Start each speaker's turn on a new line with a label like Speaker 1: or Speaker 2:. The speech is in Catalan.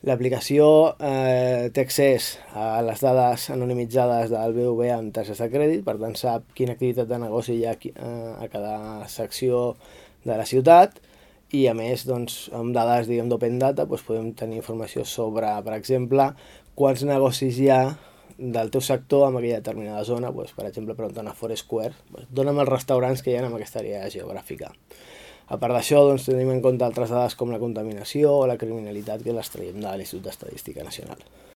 Speaker 1: L'aplicació té accés a les dades anonimitzades del BBVA amb targetes de crèdit, per tant sap quina activitat de negoci hi ha a cada secció de la ciutat, i a més, doncs, amb dades d'open data podem tenir informació sobre, per exemple, quants negocis hi ha del teu sector en aquella determinada zona. Per exemple, preguntant a Foursquare, dona'm els restaurants que hi ha en aquesta àrea geogràfica. A part d'això, doncs, tenim en compte altres dades com la contaminació o la criminalitat, que les traiem de l'Institut d'Estadística Nacional.